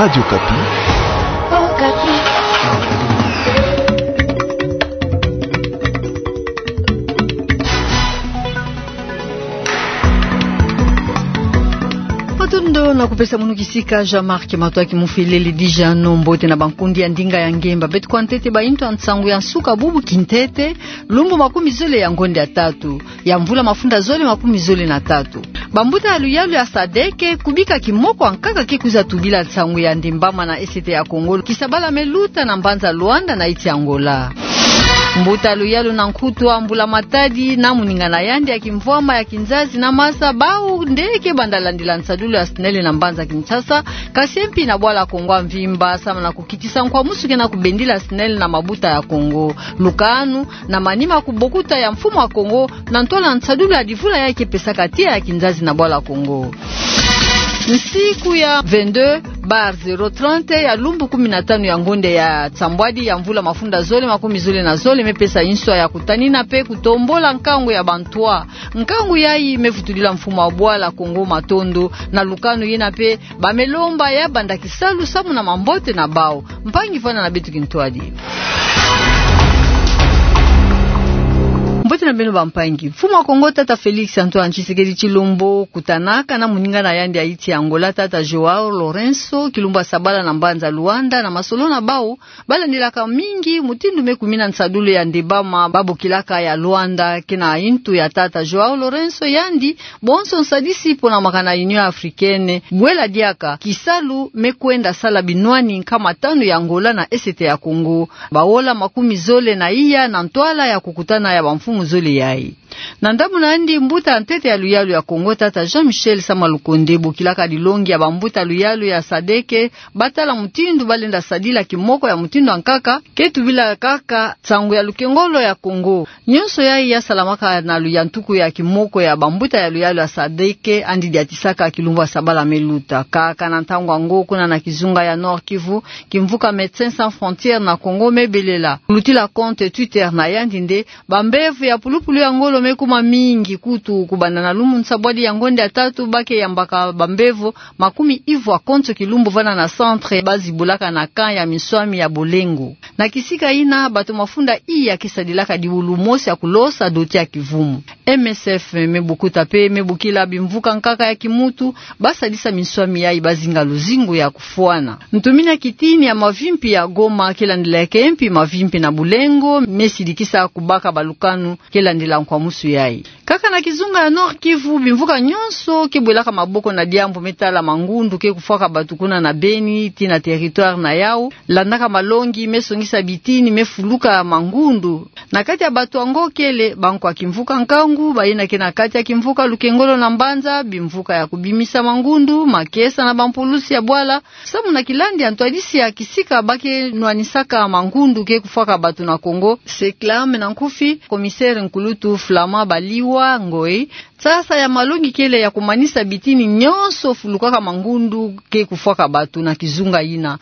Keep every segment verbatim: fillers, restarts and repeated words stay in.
Radio Okapi. Okapi. Matondo na kupesa munu kisika, Jean-Marc Matoaki Mufileli Dijano. Mbote na bankundi ya ndinga ya ngemba. Beto kwa ntete baintu ya nsangu ya nsuka bubu kintete, lumbu makumi zole ya ngonde ya tatu ya mvula mafunda zole makumi zole na tatu. Bambuta ya luyalu ya sadeke, kubika kimoko ankaka ke kwiza tubila nsangu ya ndimbama na Est ya Kongo, kisabala me luta na mbanza Luanda na insi Angola. Mbuta ya luyalu na nkutu ya Mbula Matadi na moningana yandi ya kimvwama ya kinzazi na masa, bau nde ke banda landila nsadulu ya SNEL na mbanza Kinshasa, kasi mpi na bwala Kongo ya mvimba, samu na kukitisa nkwamusu ke na kubendila SNEL na mabuta ya Kongo. Lukanu, na manima kubokuta ya mfumu wa Kongo, na ntwala nsadulu ya divula ya ke pesaka tiya ya kinzazi na bwala Kongo. Nsiku ya vingt-deux bar zéro trente ya lumbu kumi na tanu ya ngonde ya nsambwadi ya mvula mafunda zole makumi zole na zole, me pesa nswa ya kutanina pe kutombula nkangu ya bantwa. Nkangu yayi me vutudila mfumu wa bwala Kongo matondo, na lukanu yina pe ba me lomba ya banda kisalu samu na mambote na bau. Mpangi, vwanda na beto kintwadi. Mbote na beno bampangi. Mfumu wa Kongo, tata Félix Antoine Tshisekedi Tshilombo, kutanaka na moningana yandi ya insi Angola, tata João Lourenço, kilumbu ya sabala na mbanza Luanda, na masolo na bau, ba landilaka mingi mutindu me kumina nsadulu ya ndimbama ba bokilaka ya Luanda. Ke na intu ya tata João Lourenço, yandi bonso nsadisi pona makana Union Africaine, bwela diaka kisalu me kwenda sala binwani nkama tanu ya Angola na Est ya Kongo, baola makumi zole na iya na ntwala ya kukutana ya bamfumu zole yayi. Na ndambu na yandi, mbuta ya ntete ya luyalu ya Kongo, tata Jean-Michel Sama Lukonde, bokilaka dilongi ya bambuta luyalu ya sadeke, ba tala mutindu ba lenda sadila kimoko ya mutindu ankaka, ke tubila kaka nsangu ya lukengolo ya Kongo. Nyonso yayi ya salamaka na luyantuku ya kimoko ya bambuta ya luyalu ya sadeke, yandi diatisaka kilumbu ya sabala me luta. Kaka na ntangu yango, kuna na kizunga ya Nord-Kivu, kimvuka Médecins Sans Frontières na Kongo me belela, kulutila compte Twitter na yandi nde, bambevo ya pulupulu ya ngolo me kuma mingi, kutu kubanda na lumbu nsambwadi ya ngonde ya tatu ba ke yambaka bambevo makumi ivwa konso kilumbu vana na centre ba zibulaka na camp ya minswami ya Bolengo. Na kisika yina, bato mafunda iya ke sadilaka diulu mosi ya kulosa doti ya kivumu. M S F me bokuta pe me bokila bimvuka nkaka ya kimuntu ba sadisa minswami yayi ba zinga luzingu ya kufwana. Ntumina kitini ya mavimpi ya Goma ke landilaka mpi mavimpi na Bolengo, me sidikisa kubaka balukanu ke landila nkwamusu yayi. Kaka na kizunga ya Nord-Kivu, bimvuka nyonso ke bwelaka maboko na diambu me tala mangundu ke kufwaka bato kuna na Beni, tii na territoire na yau, landaka malongi me songisa bitini me fuluka mangundu. Na kati ya bato yango kele bankwa kimvuka nkangu, bayina ke na kati ya kimvuka lukengolo na mbanza, bimvuka ya kubimisa mangundu, makesa na bampulusi ya bwala, samu na kilandi ya ntwadisi ya kisika ba ke nwanisaka mangundu ke kufwaka bato na Kongo, SECLAM na nkufi, commissaire nkulutu Flamand Baliwa Ngoy. Sasa ya malongi kele ya kumanisa bitini nyonso fulukaka mangundu ke kufwaka bato na kizunga yina.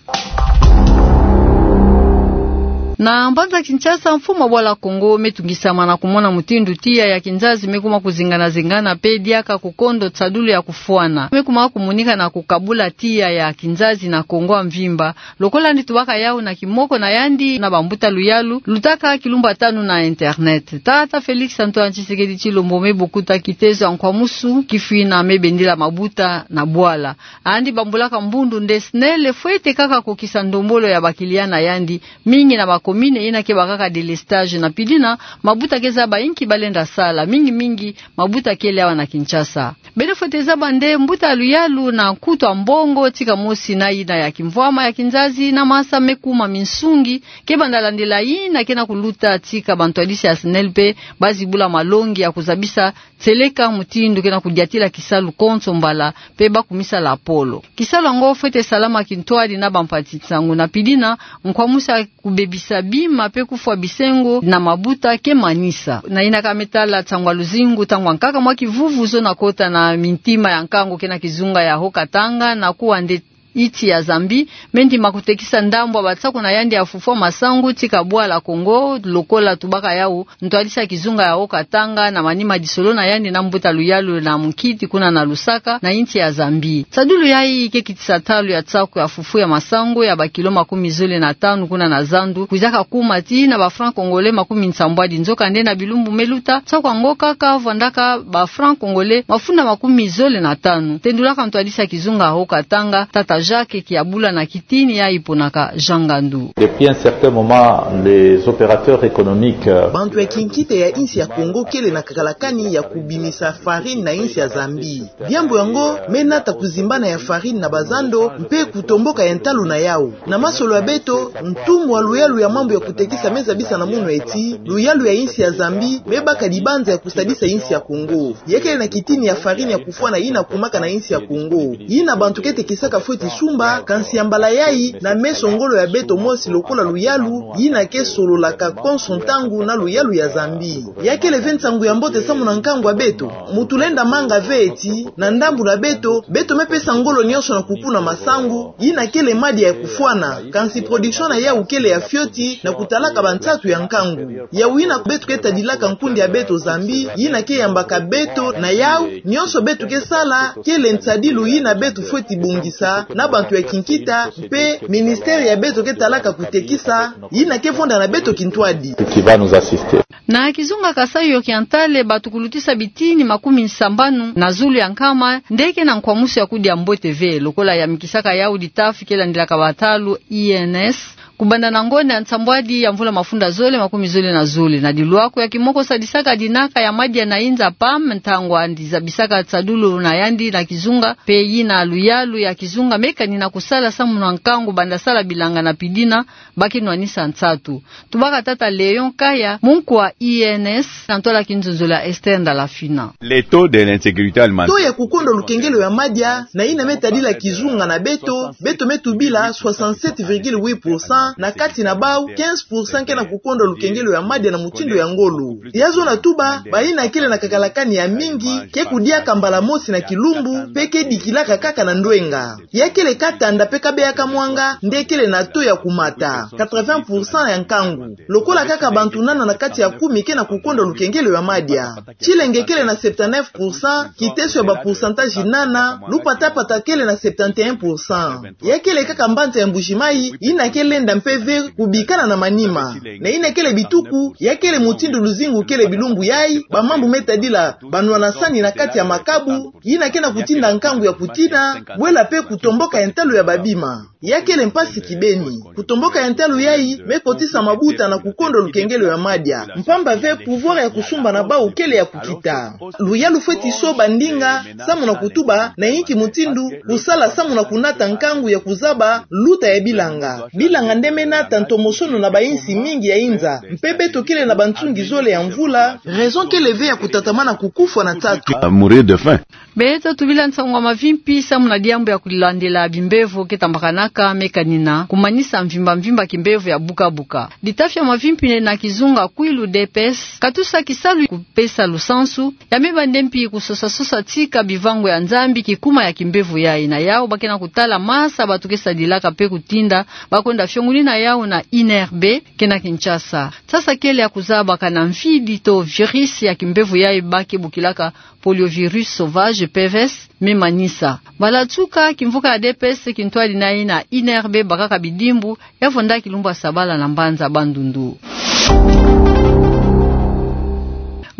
Na mbanza Kinshasa, mfumu wa bwala Kongo me tungisama na kumona mutindu tiya ya kinzazi me kuma kuzengana-zengana pe diaka kukondo nsadulu ya kufwana. Me kuma kumonika na kukabula tiya ya kinzazi na Kongo ya mvimba, lokola yandi tubaka yau na kimoko na yandi na bambuta luyalu, lutaka kilumbu ya tanu na internet. Tata Félix Antoine Tshisekedi Tshilombo me bokuta kitezo ya nkwamusu kifwina me bendila mabuta na bwala. Yandi bambulaka mbundu nde SNEL fwete kaka kokisa ndombolo ya ba clients na yandi, mingi na ba communes yina ke bakaka délestage, na pili yina mabuta ke zaba inki ba lenda sala, mingi-mingi mabuta kele awa na Kinshasa. Beno fwete zaba nde mbuta ya luyalu na nkutu ya mbongo tika mosi na yina ya kimvwama ya kinzazi na masa me kuma minsungi ke banda landila yina ke na kuluta tika bantwadisi ya SNEL pe ba zibula malongi ya kuzabisa nseleka mutindu ke na kudiatila kisalu konso mbala pe ba kumisa lapolo. Kisalu yango fwete salama kintwadi na bampati nsangu, na pili yina nkwamusu ya kubebisa bima pe kufwa bisengo na mabuta ke manisa. Na yina ka me tala nsangu ya luzingu, ntangu ya nkaka mwa kivuvu zo na kota na mintima ya nkangu ke na kizunga ya Haut-Katanga, na kuwa nde Insi ya Zambie me ndima kutekisa ndambu ya basaku na yandi ya fufulu masangu tika bwala Congo, lokola tubaka yawu ntwadisi ya kizunga ya Haut-Katanga na manima disolona yandi na mbuta luyalu na munkiti kuna na Lusaka na insi ya Zambie. Sadulu yayi ke kitisa ntalu ya saku ya fufulu ya masangu ya bakilo makumi zole na tanu kuna na zandu, kwizaka kuma tii na ba francs congolais makumi nsambwadi. Nzokande na bilumbu me luta, saku yango kaka vwandaka ba francs congolais mafunda makumi zole na tanu. Tendulaka ntwadisi ya kizunga ya Haut-Katanga, tata Jacques Kiabula, na kitini yayi ponaka Jean Ngandu. Depuis un certain moment, les opérateurs économiques, euh, Bantu ya kinkita ya insi ya Congo kele na kakalakani ya kubimisa farine na insi ya Zambie. Diambu yango me nata kuzimbana ya farine na bazando mpe kutomboka ya ntalu na yawu. Na masolo ya beto, ntumwa luyalu ya mambu ya kutekisa me zabisa na munu eti luyalu ya insi ya Zambie me baka dibanza ya kusadisa insi ya Congo. Ya kele na kitini ya farine ya kufwana yina kumaka na insi ya Congo, yina bantu ke tekisaka fweti sumba, kansi ya mbala yayi, na meso ngolo ya beto mosi lokola luyalu, yina ke sololaka konso ntangu na luyalu ya Zambie. Ya kele ve nsangu ya mbote samu na nkangu ya beto. Mutu lenda manga ve eti, na ndambu na beto, beto me pesa ngolo nyonso na kukuna masangu, yina kele madia ya kufwana, kansi production na yawu kele ya fioti na kutalaka bansatu ya nkangu. Yawu yina beto ke tadilaka nkundi ya beto Zambie, yina ke yambaka beto na yawu nyonso beto ke sala, kele nsadilu yina beto fweti bongisa na bantu ya kinkita, mpe ministère ya beto ke talaka kutekisa, yina ke vonda na beto kintwadi. Qui va nous assister. Na kizunga Kasaï Oriental, bato kulutisa bitini makumi sambanu na zulu ya nkama nde ke na nkwamusu ya kudia mbote ve, lokola yamikisaka yawu ditafi ke landilaka batalu I N S, kubanda na ngonda ya nsambwadi ya mvula mafunda zole makumi zole na zole. Na dilwako ya kimoko sadisaka dinaka ya madia na inza, pam, ntangu yandi zabisaka sadulu na yandi na kizunga, mpe yina luyalu ya kizunga me kanina kusala samu na nkangu banda sala bilanga na pidina, ba ke nwanisa nsatu. Tubaka tata Léon Kaya, munku wa I N S, na ntwala kinzonzolo ya Esther Ndalafina. Le taux de l'insécurité alimentaire. Taux ya kukondwa lukengelo ya madia, na yina me tadila kizunga na beto, beto me tubila soixante-sept virgule huit pour cent, na kati na bawu, quinze pour cent ke na kukondwa lukengelo ya madia na mutindu ya ngolo. Ya zona tuba, bayina kele na kakalakani ya mingi, ke kudiaka mbala mosi na kilumbu, mpe ke dikilaka kaka na ndwenga. Ya kele katanda mpe kabeya ka mwanga nde kele na taux ya kumata, quatre-vingts pour cent ya nkangu. Lokola kaka bantu nana na kati ya kumi ke na kukondwa lukengelo ya madia. Tsilenge kele na septanef pour cent, kiteso ya ba pourcentage nana, lupatapata kele na septante-un pour cent. Ya kele kaka mbanza ya Mbuji-Mayi, yina ke lenda mpe ve kubikana na manima. Na yina kele bituku, ya kele mutindu luzingu kele bilumbu yayi, ba mambu me tadila banwanasani na kati ya makabu, yina ke na kutinda nkangu ya kutina, bwela mpe kutomboka ya ntalu ya babima. Ya kele mpasi kibeni. Kutomboka ya ntalu yayi me kotisa mabuta na kukondwa lukengelo ya madia. Mpamba ve pouvoir ya kusumba na bawu kele ya kukita. Luyalu fweti soba ndinga, samu na kutuba na yinki mutindu kusala samu na kunata nkangu ya kuzaba luta ya bilanga. Bilanga nde me nata ntomosono na bayinsi mingi ya inza. Mpe beto kele na bansungi zole ya mvula. Raison kele ve ya kutatamana kukufwa na nsatu. À mourir de faim. Beto tubila nsangu ya mavimpi samu na diambu ya kulandila bimbevo ke tambakanaka me kanina kumanisa mvimba mvimba kimbevo ya buka buka. Ditafi ya mavimpi na kizunga Kwilu D P S katusa kisalu kupesa lusansu, ya me bande mpi kusosa sosa tika bivangu ya Nzambi kikuma ya kimbevo yayi. Na yawu ba ke na kutala masa bato ke sadilaka mpe kutinda ba kwenda fiongunina yawu na I N R B ke na Kinshasa. Sasa kele ya kuzaba kana mfidi to virus ya kimbevo yayi ba ke bokilaka poliovirus sauvage, P V S, me manisa. Bala tuka, kimvuka ya D P S kintwadi na yina I N R B bakaka bidimbu, ya vonda kilumbu ya sabala na mbanza Bandundu.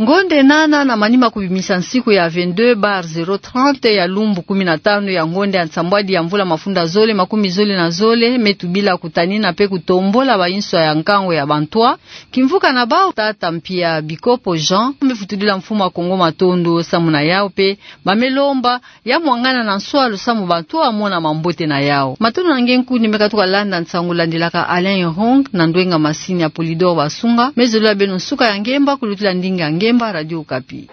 Ngonde nana na manima kubimisa nsiku ya vingt-deux bar zéro trente ya lumbu kumi na tanu ya ngonde ya nsambwadi ya mvula mafunda zole makumi zole na zole, me tubila kutanina mpe kutombola bayinswa ya nkangu ya bantwa. Kimvuka na bawu, tata Mpia Bikopo Jean, me futudila mfumu a Kongo matondo samu na yawu mpe ba me lomba ya mwangana na nswalu samu bantwa ba mona mambote na yawu. Matondo na nge nkundi me katuka landa nsangu landilaka Alain Hong na ndwenga masini ya Polydor Basunga. Me zolila beno nsuka ya ngemba kulutila ndinga ya ngemba Radio Okapi.